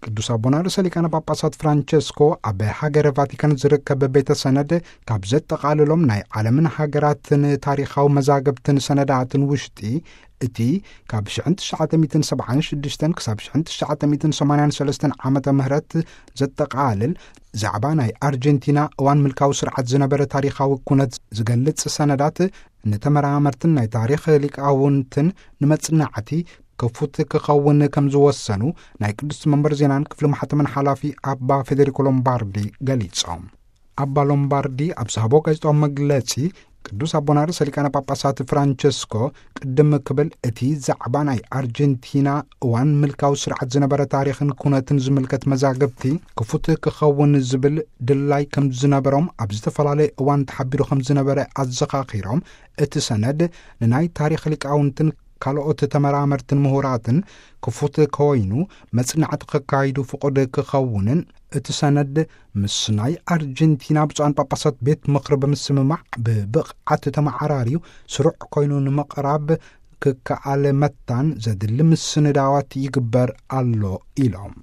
ቅዱስ ኣቦና ርእሰ ሊቃነ ጳጳሳት ፍራንቸስኮ ኣብ ሃገረ ቫቲካን ዝርከብ ቤተ ሰነድ ካብ ዘጠቓልሎም ናይ ዓለምን ሃገራትን ታሪኻዊ መዛግብትን ሰነዳትን ውሽጢ፣ እቲ ካብ ሽሕን ትሽዓተ ሚእትን ሰብዓን ሽዱሽተን ክሳብ ሽሕን ትሽዓተ ሚእትን ሰማንያን ሰለስተን ዓመተ ምህረት ዘጠቓልል፣ ዛዕባ ናይ ኣርጀንቲና እዋን ምልካዊ ስርዓት ዝነበረ ታሪኻዊ ኩነት ዝገልጽ ሰነዳት፣ ንተመራመርትን ናይ ታሪኽ ሊቃውንትን ንመጽናዕቲ ክፉት ክኸውን ከም ዝወሰኑ ናይ ቅዱስ መንበር ዜናን ክፍሊ ማሕተምን ሓላፊ ኣባ ፌዴሪኮ ሎምባርዲ ገሊጾም። ኣባ ሎምባርዲ ኣብ ዝሃቦ ጋዜጣዊ መግለጺ፣ ቅዱስ ኣቦና ርእሰ ሊቃነ ጳጳሳት ፍራንቸስኮ ቅድም ክብል፣ እቲ ዛዕባ ናይ ኣርጀንቲና እዋን ምልካዊ ስርዓት ዝነበረ ታሪኽን ኩነትን ዝምልከት መዛግብቲ ክፉት ክኸውን ዝብል ድላይ ከም ዝነበሮም፣ ኣብ ዝተፈላለየ እዋን ተሓቢሩ ከም ዝነበረ ኣዘኻኺሮም፣ እቲ ሰነድ ንናይ ታሪኽ ሊቃውንትን ካልኦት ተመራመርትን ምሁራትን ክፉት ኮይኑ መጽናዕቲ ከካይዱ ፍቑድ ክኸውንን፣ እቲ ሰነድ ምስ ናይ ኣርጀንቲና ብፁዓን ጳጳሳት ቤት ምኽሪ ብምስምማዕ ብብቕዓት ተመዓራርዩ ስሩዕ ኮይኑ ንምቕራብ ክከኣል መታን ዘድሊ ምስንዳዋት ይግበር ኣሎ ኢሎም።